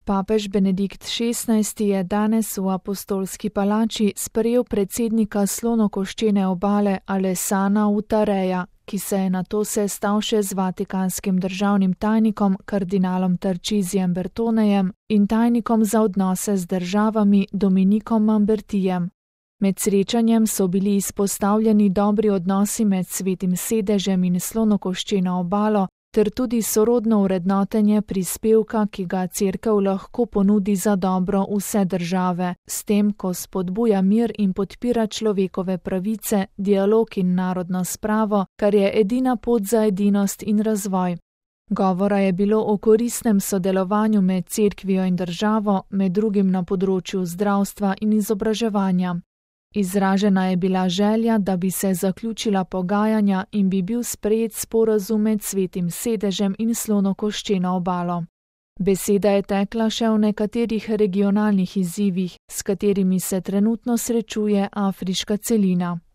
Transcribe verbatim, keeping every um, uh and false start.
Papež Benedikt šestnajsti je danes v Apostolski palači sprejel predsednika Slonokoščene obale Alessana Utareja, ki se je nato sestal še z vatikanskim državnim tajnikom kardinalom Tarcisijem Bertonejem in tajnikom za odnose z državami Dominikom Mambertijem. Med srečanjem so bili izpostavljeni dobri odnosi med Svetim sedežem in Slonokoščeno obalo, ter tudi sorodno vrednotenje prispevka, ki ga Cerkev lahko ponudi za dobro vse države, s tem, ko spodbuja mir in podpira človekove pravice, dialog in narodno spravo, kar je edina pot za edinost in razvoj. Govora je bilo o koristnem sodelovanju med Cerkvijo in državo, med drugim na področju zdravstva in izobraževanja. Izražena je bila želja, da bi se zaključila pogajanja in bi bil sprejet sporazum med Svetim sedežem in Slonokoščeno obalo. Beseda je tekla še o nekaterih regionalnih izzivih, s katerimi se trenutno srečuje afriška celina.